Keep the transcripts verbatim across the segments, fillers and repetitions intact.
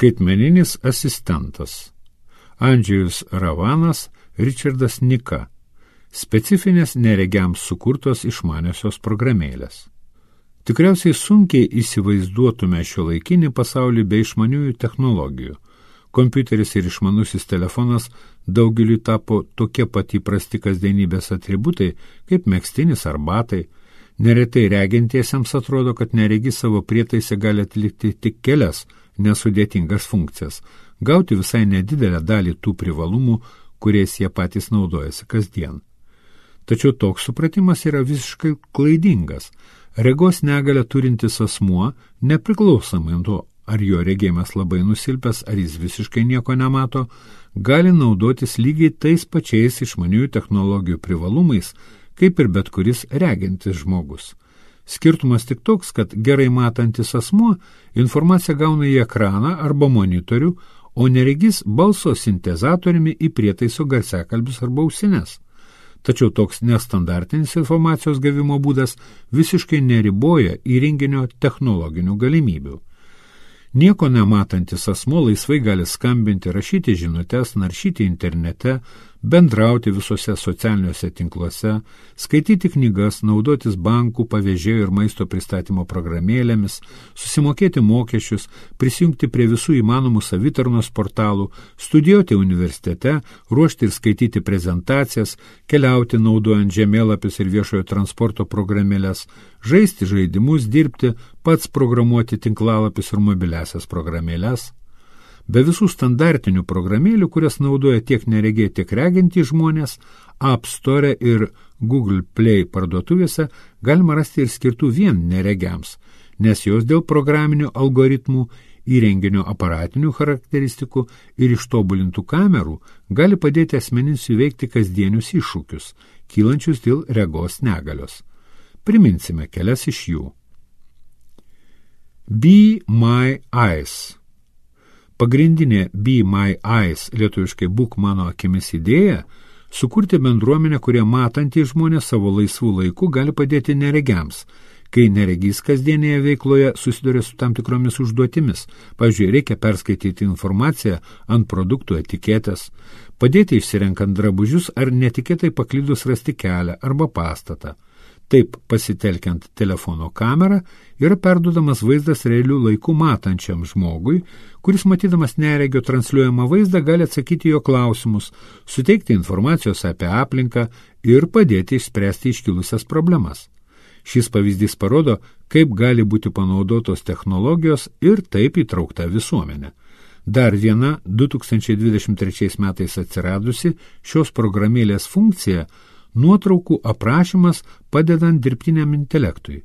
Skaitmeninis asistentas. Andžejus Ravanas, Richardas Nika. Specifinės neregiams sukurtos išmaniosios programėlės. Tikriausiai sunkiai įsivaizduotume šiuolaikinį pasaulį be išmaniųjų technologijų. Kompiuteris ir išmanusis telefonas daugeliui tapo tokie pat įprasti kasdienybės atributai, kaip megztinis ar batai. Neretai regintiesiems atrodo, kad neregys savo prietaise gali atlikti tik kelias nesudėtingas funkcijas, gauti visai nedidelę dalį tų privalumų, kuriais jie patys naudojasi kasdien. Tačiau toks supratimas yra visiškai klaidingas. Regos negalią turintis asmuo, nepriklausomai nuo, ar jo regėjimas labai nusilpęs, ar jis visiškai nieko nemato, gali naudotis lygiai tais pačiais išmaniųjų technologijų privalumais, kaip ir bet kuris regintis žmogus. Skirtumas tik toks, kad gerai matantis asmuo informaciją gauna į ekraną arba monitorių, o neregys balso sintezatoriumi į prietaiso garsiakalbius arba ausines. Tačiau toks nestandartinis informacijos gavimo būdas visiškai neriboja įrenginio technologinių galimybių. Nieko nematantis asmuo laisvai gali skambinti, rašyti žinutes, naršyti internete, bendrauti visose socialiniuose tinkluose, skaityti knygas, naudotis bankų, pavežėjų ir maisto pristatymo programėlėmis, susimokėti mokesčius, prisijungti prie visų įmanomų savitarnos portalų, studijuoti universitete, ruošti ir skaityti prezentacijas, keliauti naudojant žemėlapius ir viešojo transporto programėlės, žaisti žaidimus, dirbti, pats programuoti tinklalapius ir mobiliasias programėlės. Be visų standartinių programėlių, kurias naudoja tiek neregiai, tiek regintys žmonės, App Store ir Google Play parduotuvėse galima rasti ir skirtų vien neregiams, nes jos dėl programinių algoritmų, įrenginio aparatinių charakteristikų ir ištobulintų kamerų gali padėti asmenims įveikti kasdienius iššūkius, kylančius dėl regos negalios. Priminsime kelias iš jų. Be My Eyes. Pagrindinė Be My Eyes, lietuviškai būk mano akimis idėja, sukurti bendruomenę, kurie matantys žmonės savo laisvų laikų gali padėti neregiams, kai neregys kasdienėje veikloje susiduria su tam tikromis užduotimis. Pavyzdžiui, reikia perskaityti informaciją ant produktų etiketės, padėti išsirenkant drabužius ar netikėtai paklydus rasti kelią arba pastatą. Taip, pasitelkiant telefono kamerą, yra perduodamas vaizdas realių laikų matančiam žmogui, kuris matydamas neregio transliuojamą vaizdą gali atsakyti jo klausimus, suteikti informacijos apie aplinką ir padėti išspręsti iškilusias problemas. Šis pavyzdys parodo, kaip gali būti panaudotos technologijos ir taip įtraukta visuomenė. Dar viena du tūkstančiai dvidešimt trečiais metais atsiradusi šios programėlės funkcija – nuotraukų aprašymas padedant dirbtiniam intelektui.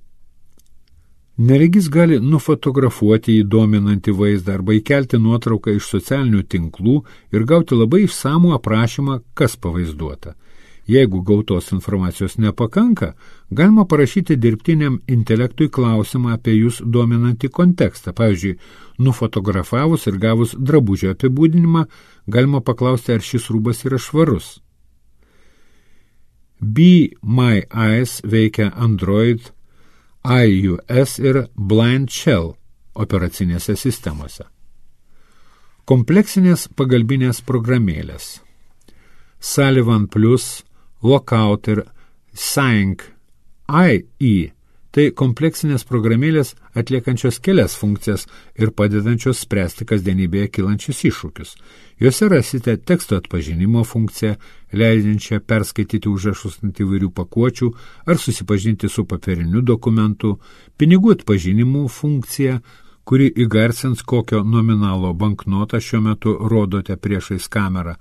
Neregys gali nufotografuoti įdominantį vaizdą arba įkelti nuotrauką iš socialinių tinklų ir gauti labai išsamų aprašymą, kas pavaizduota. Jeigu gautos informacijos nepakanka, galima parašyti dirbtiniam intelektui klausimą apie jūs dominantį kontekstą. Pavyzdžiui, nufotografavus ir gavus drabužio apibūdinimą, galima paklausti, ar šis rūbas yra švarus. Be My Eyes veikia Android, iOS ir Blind Shell operacinėse sistemose. Kompleksinės pagalbinės programėlės. Sullivan Plus, Lookout ir Sync I E tai kompleksinės programėlės atliekančios kelias funkcijas ir padedančios spręsti kasdienybėje kylančius iššūkius. Jose rasite teksto atpažinimo funkciją, leidžiančią perskaityti užrašus ant įvairių pakuočių ar susipažinti su papiriniu dokumentu, pinigų atpažinimų funkciją, kuri įgarsins, kokio nominalo banknotą šiuo metu rodote priešais kamerą,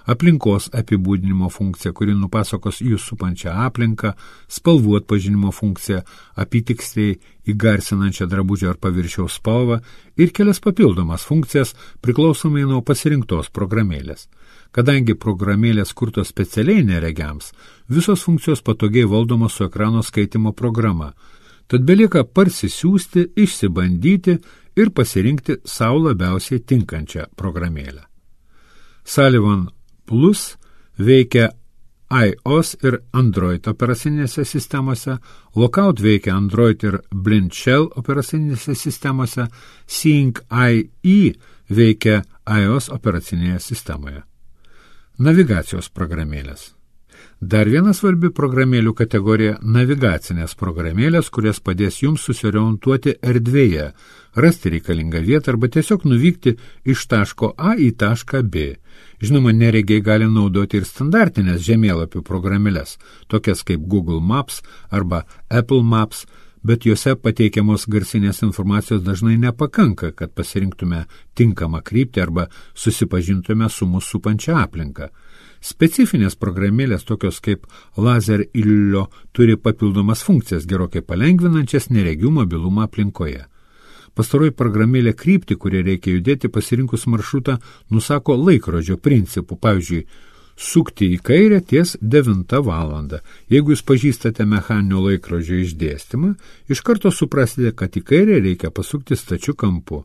aplinkos apibūdinimo funkcija, kuri nupasakos jūs supančią aplinką, spalvų atpažinimo funkcija, apytiksliai įgarsinančią drabužio ar paviršiaus spalvą ir kelias papildomas funkcijas priklausomai nuo pasirinktos programėlės. Kadangi programėlės kurtos specialiai neregiams, visos funkcijos patogiai valdomos su ekrano skaitimo programa, tad belieka parsisiųsti, išsibandyti ir pasirinkti sau labiausiai tinkančią programėlę. Sullivan Plus veikia iOS ir Android operacinėse sistemose, Lookout veikia Android ir Blind Shell operacinėse sistemose, Sync I E veikia iOS operacinėje sistemoje. Navigacijos programėlės. Dar viena svarbi programėlių kategorija – navigacinės programėlės, kurias padės jums susiorientuoti erdvėje, rasti reikalingą vietą arba tiesiog nuvykti iš taško A į tašką B. Žinoma, neregiai gali naudoti ir standartinės žemėlapių programėlės, tokias kaip Google Maps arba Apple Maps, bet juose pateikiamos garsinės informacijos dažnai nepakanka, kad pasirinktume tinkamą kryptį arba susipažintume su mūsų supančia aplinka. Specifinės programėlės, tokios kaip Laser Illo, turi papildomas funkcijas, gerokai palengvinančias neregių mobilumą aplinkoje. Pastaroji programėlė kryptį, kurie reikia judėti pasirinkus maršrutą, nusako laikrodžio principų, pavyzdžiui, sukti į kairę ties devintą valandą. Jeigu jūs pažįstate mechaninio laikrodžio išdėstymą, iš karto suprasite, kad į kairę reikia pasukti stačiu kampu.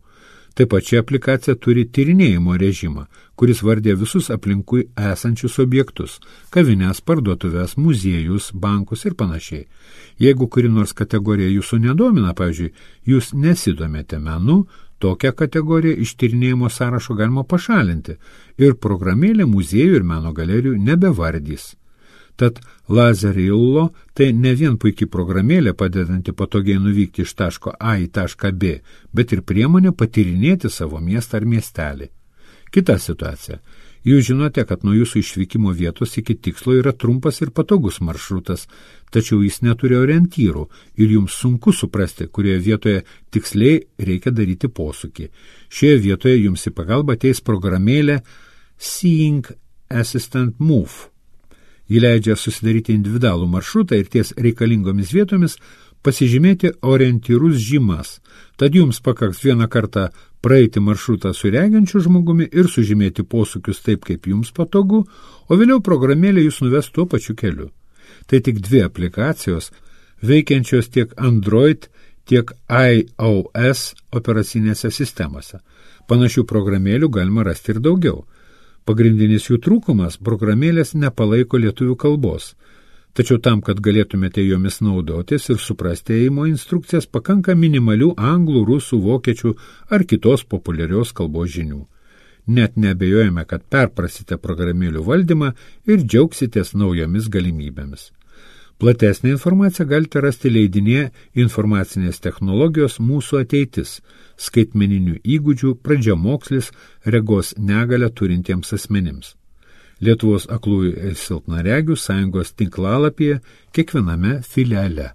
Taip pat ši aplikacija turi tyrinėjimo režimą, kuris vardė visus aplinkui esančius objektus – kavines, parduotuvės, muziejus, bankus ir panašiai. Jeigu kuri nors kategorija jūsų nedomina, pavyzdžiui, jūs nesidomėte menu, tokią kategoriją iš tyrinėjimo sąrašo galima pašalinti ir programėlė muziejų ir meno galerijų nebevardys. Tad Lazerillo tai ne vien puikiai programėlė padedanti patogiai nuvykti iš taško A į tašką B, bet ir priemonė patyrinėti savo miestą ar miestelį. Kita situacija. Jūs žinote, kad nuo jūsų išvykimo vietos iki tikslo yra trumpas ir patogus maršrutas, tačiau jis neturi orientyrų ir jums sunku suprasti, kurioje vietoje tiksliai reikia daryti posūkį. Šioje vietoje jums į pagalbą ateis programėlė Seeing Assistant Move. Ji leidžia susidaryti individualų maršrutą ir ties reikalingomis vietomis pasižymėti orientyrus žymas. Tad jums pakaks vieną kartą praeiti maršrutą su reginčiu žmogumi ir sužymėti posūkius taip, kaip jums patogu, o vėliau programėlė jūs nuves tuo pačiu keliu. Tai tik dvi aplikacijos, veikiančios tiek Android, tiek iOS operacinėse sistemose. Panašių programėlių galima rasti ir daugiau. Pagrindinis jų trūkumas – programėlės nepalaiko lietuvių kalbos. Tačiau tam, kad galėtumėte jomis naudotis ir suprasti ėjimo instrukcijas, pakanka minimalių anglų, rusų, vokiečių ar kitos populiarios kalbos žinių. Net neabejojame, kad perprasite programėlių valdymą ir džiaugsitės naujomis galimybėmis. Platesnę informaciją galite rasti leidinėje Informacinės technologijos mūsų ateitis, skaitmeninių įgūdžių, pradžiamokslis, regos negalią turintiems asmenims. Lietuvos aklųjų ir silpnaregių sąjungos tinklalapyje kiekviename filiale.